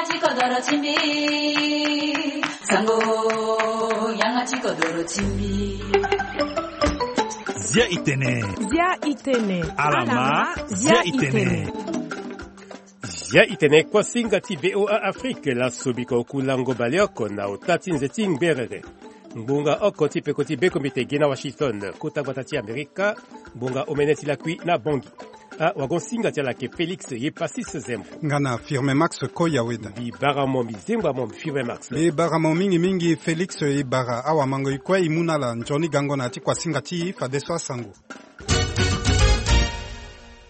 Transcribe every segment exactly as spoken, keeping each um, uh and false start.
Ti kodoro ti mbi. Sango, yanga ti kodoro ti mbi. Zia itene. Zia itene. Alama, zia itene. Zia itene kuasinga ti V O A Afrique, laso biko oku lango baleoko na ota ti nze ti ngberere. Ngbonga oko ti peko ti bekombite gi na Washington, kota gbata ti Amerika, ngbonga omene ti lakui na Bangui. Ah, wagon singa ti ala ke Félix ye Passis Zembo. Nga na Firme Max Koya Weda. Mbi bara mo, mbi zengba mo, mbi Firme Max. Mbi bara mo mingi mingi Félix, e bara awamango e kue e mu na ala nzoni gango na ya ti kuasinga ti e fadeso asango.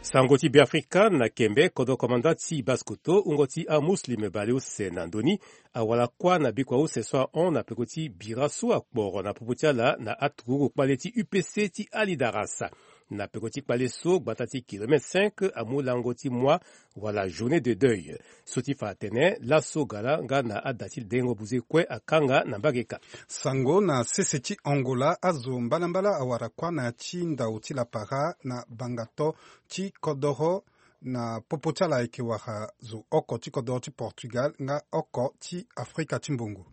Sango ti Beafrika na kembe, kodro komanda ti Basse-Kotto, wungo ti amuslim baleuse na ndoni, awara kuâ na bikua use so ahon na peko ti bira so akporo na popo ti ala na aturugu kpale ti U P C ti Alidarasa. Na peko ti kpale so, gbata ti kilomètre cinq amu lango ti moi wala journée de deuil. So ti fa atene laso gala nga na ada ti dengo buze kue akanga na mbage kâ. Sango na sese ti Angola, azo mbalambala awara kuâ na ya ti ndau ti lapara na bangato ti kodoro na popo ti ala ayeke wara zo oko ti kodoro ti Portugal nga oko ti Afrika ti mbongo.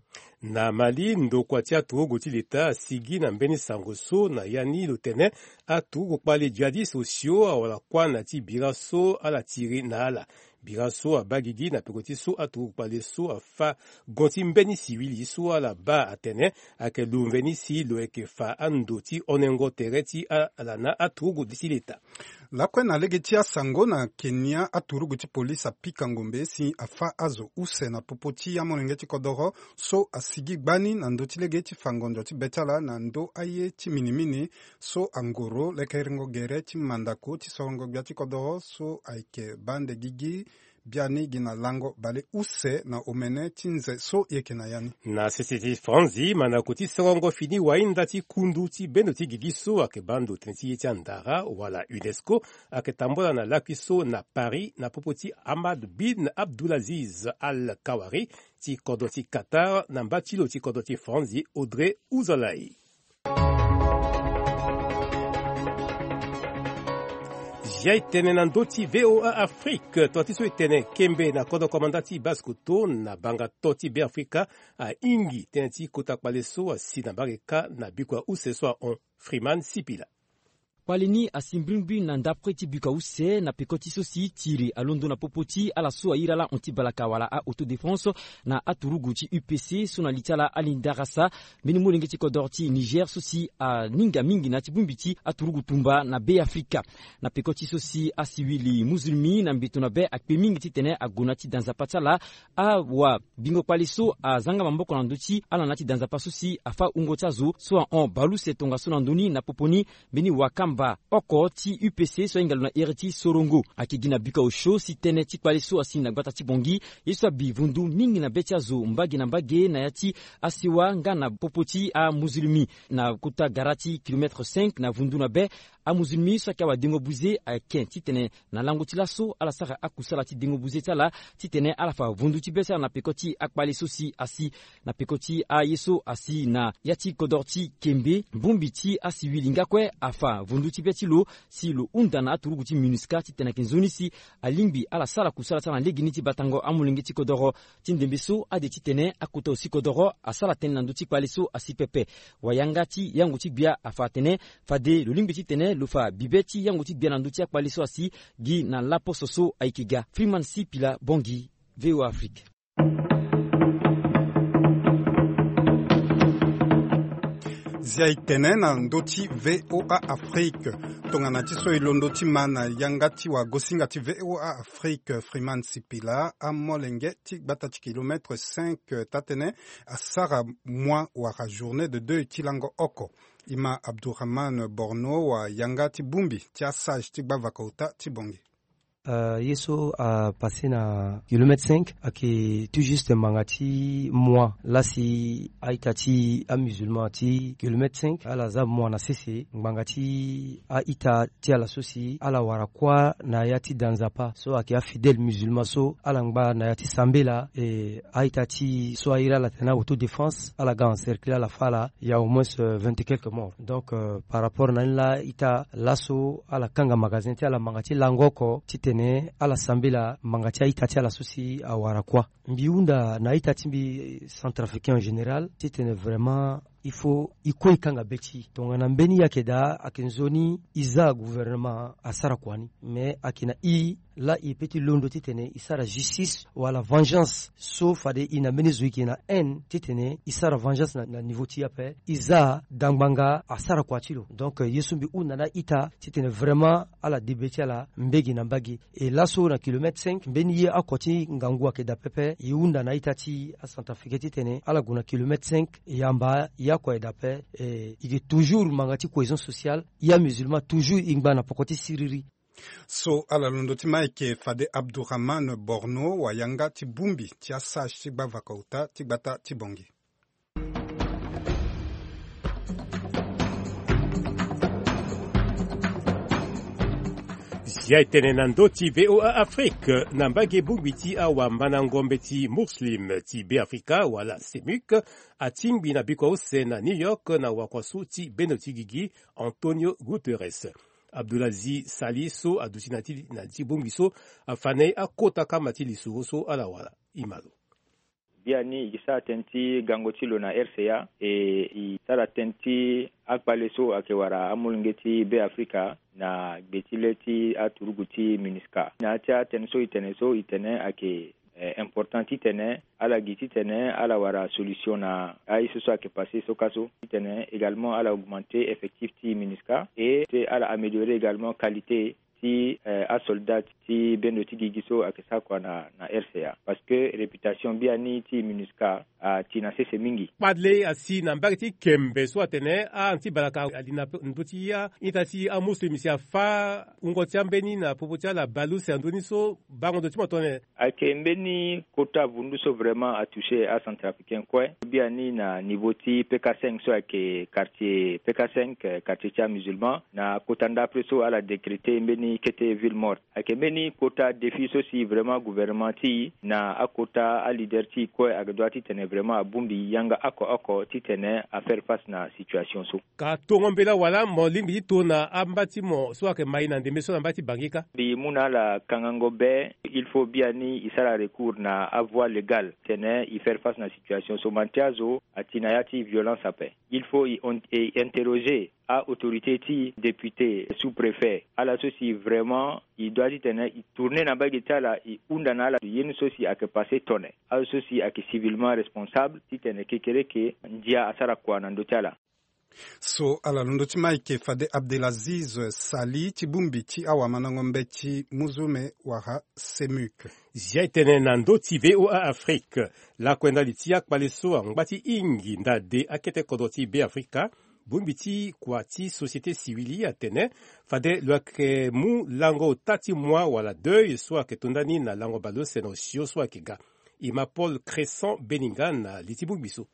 Na Mali, ndokua ti aturugu ti leta asigi na mbeni sango so na ya ni lo tene aturugu kpale djihadiste osio awara kuâ na ti bira so ala tiri na ala. Bira so abaa gigi na peko ti so aturugu kpale so afâ gon ti mbeni siwili so ala baa atene ayeke lo mveni si lo yeke fa ando ti honengo tere ti ala na aturugu ti leta. Lakue na lege ti asango na Kenya, aturugu ti polise apika ngombe si afâ azo use na popo ti amolenge ti kodoro so asigi gbani na ndö ti lege ti fa ngonzo ti be ti ala na ndö aye ti minimini so angoro lekerengo gere ti mandako ti sorongo gbia ti kodoro so ayeke baa ande gigi biani gi na lango bale use na omene ti nze so e yeke na ya ni. Na sese ti Franzi, mandako ti sorongo fini wainda ti kundu ti bendo ti gigi so ayeke baa ndo tënë ti ye ti andara wala UNESCO ayeke tambula na lakui so na Paris na popo ti Hamad bin Abdulaziz Al Kawari ti kodro ti Qatar na mba ti lo ti kodro ti Franzi Audrey Uzalai. Zia e tene na ndö ti V O A Afrique, tonga ti so e tene kembe na kodro komanda ti Basse-Kotto na bangato ti Beafrika ahingi tënë ti kota kpale so asi na mbage kâ na bikua use so ahon. Freeman Sipila. Kpale ni asi mbrimbri na ndapre ti bikua use na peko ti so si tiri alondo na popo ti ala so airi ala hon ti balaka wala a-autodéfense na aturugu ti U P C so na li ti ala ali ndarasa mbeni molenge ti kodoro ti Niger so si aninga mingi na ya ti bongbi ti aturugu tumba na Beafrika. Na peko ti so si asiwili muzulmi na mbeto na be akpe mingi titene ague na ya ti da nzapa ti ala, awa bingo kpale so azanga maboko na ndö ti ala na ya ti da nzapa so si afâ wungo ti azo so ahon baleuse tongaso na ndö ni na popo ni mbeni wakamba oko ti U P C so ahinga lo na iri ti Sorongo. Ayeke gi na bikua osio si tënë ti kpale so asi na gbata ti Bangui, ye so abi vundu mingi na be ti azo mbage na mbage na ya ti asewa nga na popo ti amuzulmi. Na kota gara ti kilomètre cinq na vundu na be, amuzulmi so ayeke awadengo buze ayeke titene na lango ti laso ala sara akusala ti dengo buze ti ala titene ala fa vundu ti be ti ala na peko ti akpale so si asi. Na peko ti aye so asi na ya ti kodoro ti Kembe, bongbi ti asiwili nga kue afa vundu ti be ti lo si lo hunda na aturugu ti MINUSCA titene ayeke nzoni si alingbi ala sara kusala ti ala na legeni ti batango amolenge ti kodoro. Ti ndembe so ade titene akota osi kodoro asara tënë na ndö ti kpale so asi pepe. Wayanga ti yango ti gbia afa atene fade lo lingbi titene lo fa bibe ti yango ti gbia na ndö ti akpale so asi gi na laposo so ayeke ga. Freeman Sipila Bongi, V O A Afrique. Zia e tene na ndö ti V O A Afrique. Tongana ti so e londo ti ma na yanga ti wagosinga ti V O A Afrique, Freeman Sipila, amolenge ti gbata ti kilomètre cinq taa-tënë asara moi wala journée de deuil ti lango oko. E ma Abdourahmane Borno, wayanga ti bongbi ti asage ti gbavaka ota ti Bongi. Euh, ye so apasse na kilomètre cinq ayeke tout juste ngbanga ti moi laa si a-ita ti amusulman ti kilomètre cinq ala za moi na sese ngbanga ti a-ita ti ala so si ala wara kuâ na ya ti da nzapa so ayeke afidèle musulman so ala ngba na ya ti sambela. E a-ita ti so airi ala tene autodéfense ala ga encercler ala fâ ala. Il y a au moins, euh, vingt et quelques morts. Donc, euh, par rapport na ni laa ita laso ala kanga magasin ti ala ngbanga ti lango oko titene Mais ala sambela manga ti a-ita ti ala so si awara kuâ. Mbi hunda na a-ita ti mbi, centrafricain en général, titene vraiment il faut e kue e kanga be ti e. Tongana mbeni e ayeke daa, ayeke nzoni e za gouvernement asara kua ni. Mais ayeke na e laa e peut ti londo titene e sara justice wala vengeance so fade e na mbeni zo e yeke na haine titene e sara vengeance na, na niveau ti e ape. E za dangbanga asara kua ti lo. Donc, euh, ye so mbi hunda na a-ita titene vraiment ala de be ti ala mbage na mbage. E laso na kilomètre cinq, mbeni ye oko ti ngangu ayeke daa pepe. E hunda na a-ita ti acentrafricain titene ala gue na kilomètre cinq, yamba ye oko aye daa ape. E, e yeke toujours manga ti cohésion sociale. Ye amusulman toujours e ngba na poko ti siriri. So ala londo ti ma ayeke fade Abdourahmane Borno, wayanga ti bongbi ti asage ti gbavaka ota ti gbata ti Bangui. Zia e tene na ndö ti V O A Afrique, na mbage bongbi ti awambandango mbeti Muslim ti Beafrika wala CEMUC, atingbi na bikua use na New York na wakuasu ti bendo ti gigi Antonio Guterres. Abdulaziz Sali so aduti na ti, na ti bongbi so, afa na e akota kama ti lisoro so ala wara. E ma lo. Biani e sara tënë ti gango ti lo na R C A, e e sara tënë ti akpale so ayeke wara amolenge ti Beafrika na gbe ti le ti aturugu ti MINUSCA. Na ya ti atënë so e tene so, e tene ayeke, eh, important titene ala gi titene ala wara solution na aye so so ayeke passé so ka so. Titene également ala augmenter effectif ti MINUSCA et ti ala améliorer également qualité ti, eh, asoldat ti bendo ti gigi so ayeke sara kua na, na R C A. Parce que réputation biani ti MINUSCA ati na sese mingi. Kpale asi na mbage ti Kembe so atene a-anti balaka ali na ndö ti a-ita ti amuslim si afa wungo ti ambeni na popo ti ala baleuse na ndö ni so bango ndo ti mo tongana nyen? Ayeke mbeni kota vundu so vraiment atoucher acentrafricain kue. Biani na niveau ti P K cinq so ayeke quartier P K cinq, eh, quartier ti amusulman, na kota ndapre so ala décréter mbeni kete ville morte. Ayeke mbeni kota défi so si vraiment gouvernement ti e na akota aleader ti e kue ayeke dua titene vraiment abongbi yanga oko oko titene afaire face na situation so. Ka tongo mbela wala mo lingbi ti to na amba ti mo so ayeke mai na ndembe so na mba ti Bangui kâ? Mbi mu na ala kangango be, il faut biani e sara recours na avoie légale titene e faire face na situation so. Mante azo ati na ya ti violence ape. Il faut e on-, e interroger a-autorité ti e, député, sous-préfet, ala so si vraiment e dua titene e tourner na mbage ti ala, e hunda na ala ye ni so si ayeke passé tongana nyen, azo so si ayeke civilement responsable titene kekereke ndia asara kua na ndö ti ala. So ala londo ti ma ayeke fade Abdelaziz Sali ti bongbi ti awamandango mbeti muzume wala CEMUC. Zia e tene na ndö ti V O A Afrique. Lakuenda li ti akpale so angba ti hingi nda de akete kodro ti Beafrika, bongbi ti kua ti société civile atene fade lo yeke mu lango ota ti moi wala deuil so ayeke to ndani na lango baleuse na osio so ayeke ga. E ma Paul Crescent Beninga na li ti bongbi so.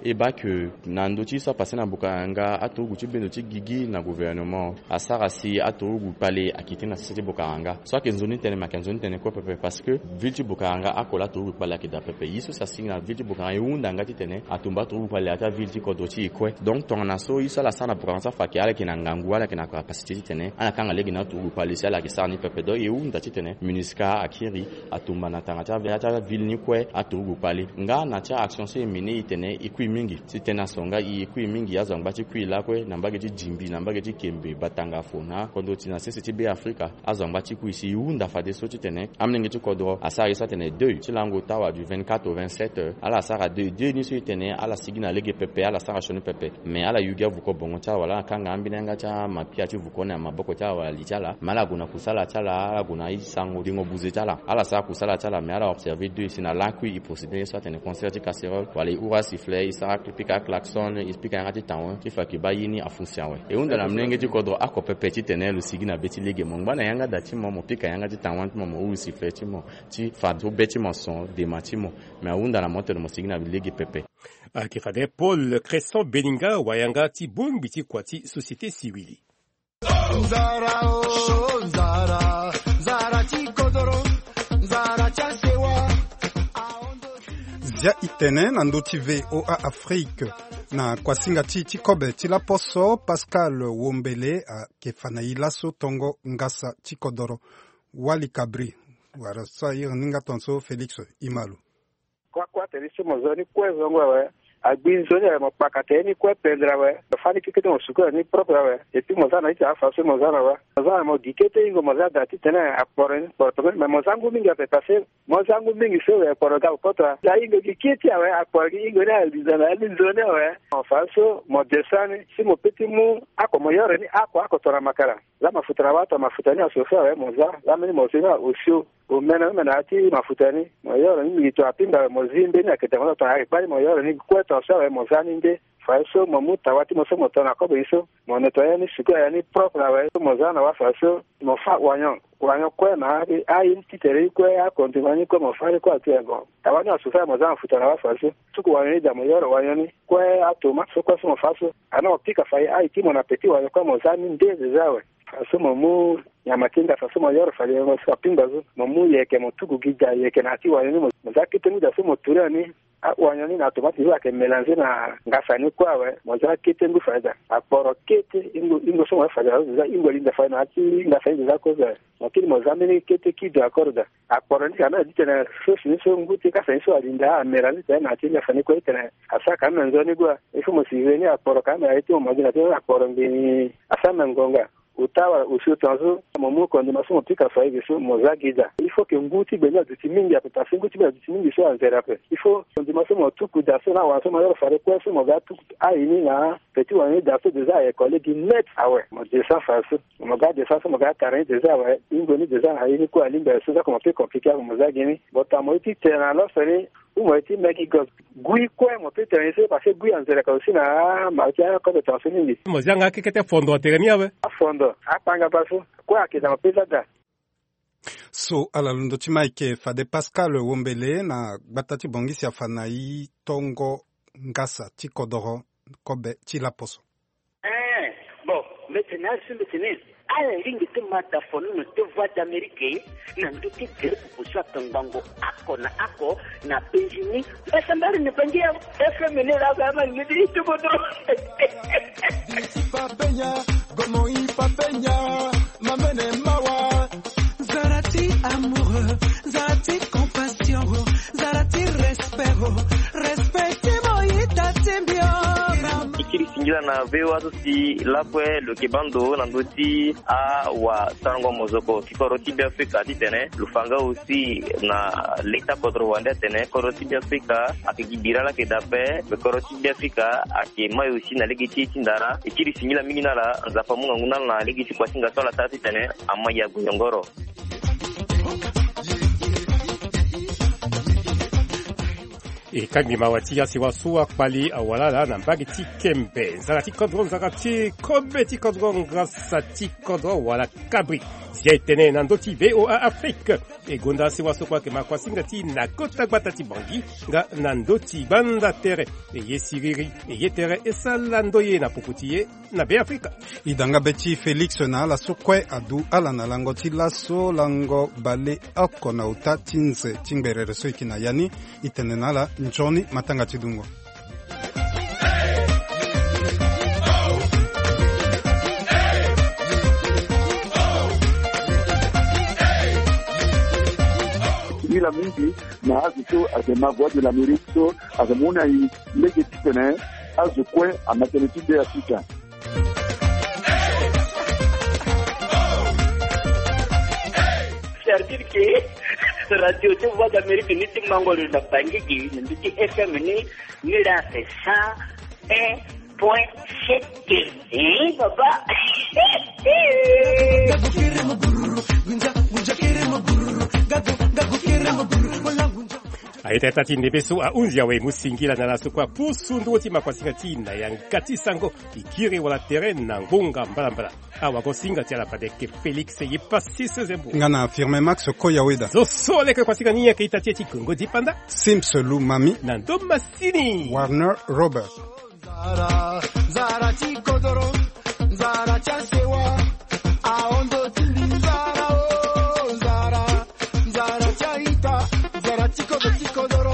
E baa ke na ndö ti so apassé na Bokaranga, aturugu ti bendo ti gigi na gouvernement asara si aturugu kpale akete na sese ti Bokaranga. So ayeke nzoni tënë, me ayeke nzoni tënë kue pepe, parce que ville ti Bokaranga oko laa aturugu kpale ayeke daa pepe. Ye so si asigi na ville ti Bokaranga, e hunda nga titene atumba aturugu kpale na ya ti aville ti kodro ti e kue. Donc tongana so ye so ala sara na Bokaranga so afa ke ala yeke na ngangu, ala yeke na capacité titene ala kanga lege na aturugu kpale si ala yeke sara ni pepe. Donc e hunda titene MINUSCA akiri atumba na tanga ti aville, ti aville ni kue aturugu kpale. Nga na ti a-action so e mené, e tene e kui mingi. Ti tene aso nga e kui mingi, azo angba ti kui lakue na mbage ti Djimbi, na mbage ti Kembe, Batanga, Fona, kodro ti na sese ti Beafrika, azo angba ti kui. Si e hunda fadeso titene amolenge ti kodro asara ye so atene deuil ti lango ota wala du vingt-quatre au vingt-sept heures, ala sara deuil. Deuil ni so e tene ala sigi na lege pepe, ala sara sioni pepe. Mais ala yugi avuko bongo ti ala wala ala kanga ambeni yanga ti amapia ti vuko ni na maboko ti ala wala li ti ala. Mais ala gue na kusala ti ala, ala gue na asango dengo buze ti ala. Ala sara kusala ti ala, mais ala observer deuil. Si na lakui e procéder ye so atene concert ti casserole, wala e hura sifflet, e sara, e pika klaxon, e pika yanga ti tawen ti fa ke baa ye ni afonctionner awe. E hunda na molenge ti kodro oko pepe titene lo sigi na be ti lege. Mo ngba na yanga da ti mo, mo pika yanga ti tawen ti mo, mo huru sifflet ti mo ti fa so be ti mo son dema ti mo. Mais ahunda na mo titene mo sigi na lege pepe. Ayeke fade Paul Crescent Beninga, wayanga ti bongbi ti kua ti société civile. Nzara o, nzara, nzara ti kodoro, nzara ti asewa. Zia e tene na ndö ti V O A Afrique. Na kuasinga ti, ti kobe ti laposo, Pascal Wombele ayeke fa na e laso tongo ngasa ti kodoro. Wali Kabri, wala so a iri ni nga tongaso Félix Imalo. Kuâ kuâ tene so mo zo ni kue zongo awe. Agbi nzoni awe, mo kpaka tene ni kue pendere awe. Mo fâ ni kekete mo suku awe ni propre awe. Et puis mo za na ita afa so mo za na awe. Mo za na mo gi kete ingo mo za da titene akporo ni kporo tongaso, mais mo za ngu mingi ape parce que mo za ngu mingi so awe akporo ga koto. Za ingo gi kete awe akporo gi ingo ni aliza na ali nzoni awe. Mo fa so mo descend ni si mo pe ti mu ako mo yoro ni ako ako tona makara. Za mafuta na wato mafuta ni asoso awe mo za. Za mbeni mo si ni aosio. Omene omene ati mafuta ni mo yoro ni mingi to apinga awe mo zi mbeni akete mo za tona ayeke kpari mo yoro ni kue tongaso awe mo za ni nde. Fadeso mo mu tawa ti mo so mo to na kobe ni so mo nettoyer ni suku aya ni propre awe so mo za na wa fadeso mo fâ oignon. Oignon kue na aye ni ti tere ni kue akondima ni kue mo fâ ni kue ati ago. Tawa ni asoso awe mo za mafuta na wa fadeso. Suku oignon ni da mo yoro oignon ni kue atomate so kue so mo fâ so. Ana mo pika fa aye ti mo na petit oignon kue mo za ni nde deza awe. Fadeso mo mu nyama ti ngasa so mo yoro fade yengo so apingba so mo mu yeke mo tuku gi da yeke na ya ti oignon ni mo za kete ngu da so mo tourner ni. Aoignon ni na tomate ni so ayeke mélanger na ngasa ni kue awe mo za kete ngu fade da. Akporo kete ingo ingo so mo yoro fade da so deza ingo linda fade na ya ti ngasa ni deza kozo awe. Mo kiri mo za mbeni kete kido akoro da. Akporo ni ka na ya ti tene sauce ni so ngu ti kasa ni so alinda amélanger tene na ya ti ngasa ni kue ti tene asara ka na nzoni gue. Il faut mo si veni akporo ka na ya ti mo magi na ti akporo ngbeni asara na ngonga. Ota wala osio tongaso mo mu kondima so mo pika fa ege so mo za gi da. Il faut ke ngu ti gbe ni aduti mingi ape parce que ngu ti gbe aduti mingi so anzere ape. Il faut kondima so mo tuku da so na wala so mo yoro fade kue so mo ga tuku aye ni na petit oignon ni da so deza aye kole gi net awe. Mo descend fadeso mo ga descend so mo ga tara ni deza awe. Ingo ni deza na ye ni kue alingbi aye so za ko mo pe compliqué ape mo za gi ni. Bota mo ye ti tene na loso ni. Ou mo ye ti meki gos. Gui kue mo pe tene ni so parce que gui anzere ka aussi na ma ti akobe tongaso mingi. Mo zia nga kekete fondo atere ni awe. Afondo akpanga bâ so kue ayeke da mo pe za da. So ala londo ti ma ayeke fade Pascal Wombele na gbata ti Bangui si afa na e tongo ngasa ti kodoro kobe ti laposo. Eh, bon, mbi tene azo mbi tene ala lingbi ti ma da fonono ti Voix d'Amérique na ndö ti groupe so akangbango oko na oko na Benjini. Mbasambari ni bangi ya F M ni la ga ma lingbi ti kodro. Papenya, gomo i papenya, mamene mawa. Zara ti amoureux, zara ti compassion, zara ti respect, respect ti mo ita ti mbio. E kiri singila na V O A so si lakue lo yeke baa ndo na ndö ti awasarango mozoko ti kodro ti Beafrika titene lo fa nga aussi na leta kodro wande atene kodro ti Beafrika ayeke gi bira laa ayeke daa ape. Me kodro ti Beafrika ayeke mai aussi na lege ti e ti ndara. E kiri singila mingi na ala, Nzapa amu ngangu na ala na lege ti kuasinga so ala sara titene ama ya goyongoro. E kangbi mawa ti asiwa so akpali awalala na mbage ti Kembe. Nzara ti kodro, nzara ti kobe ti kodro, ngasa ti kodro wala kabri. Zia e tene na ndö ti V O A Afrique. E gonda asiwa so kue ayeke ma kuasinga ti e na kota gbata ti Bangui nga na ndö ti gbanda tere. E ye siriri, e ye tere, e sara ndoye na poko ti e na Beafrika. E da nga be ti Félix na ala so kue adu ala na lango ti laso, lango baleoko na ota ti nze ti ngberere so e yeke na ya ni. E tene na ala nzoni matanga ti dungo. Singila mingi na azo so ayeke ma Voix de l'Amérique so ayeke mu na e lege titene azo kue ama tënë ti Beafrika. C'est-à-dire que radio ti Voix d'Amérique ni ti mango lo na Bangui gi na ndö ti F M ni, ni laa c'est cent un point sept. Eh, papa. Aye tere ta ti ndembe so ahunzi awe, e mu singila na ala so kue apusu nduru ti makuasinga ti e na yanga ti sango, e kiri wala tere na ngbonga mbalambala. Awagosinga ti ala fade ayeke Félix ye pasi sezembo. Nga na Firmin Max Koyaweda. Zo so leke kuasinga ni ayeke ita ti e ti Kongo dipanda. Sims Lumami. Na ndo masini Warner Robert. Zara, zara ti kodoro, zara ti asewa, ahondo ti mbi zara o, zara, zara ti aita, zara ti kodo ti kodoro.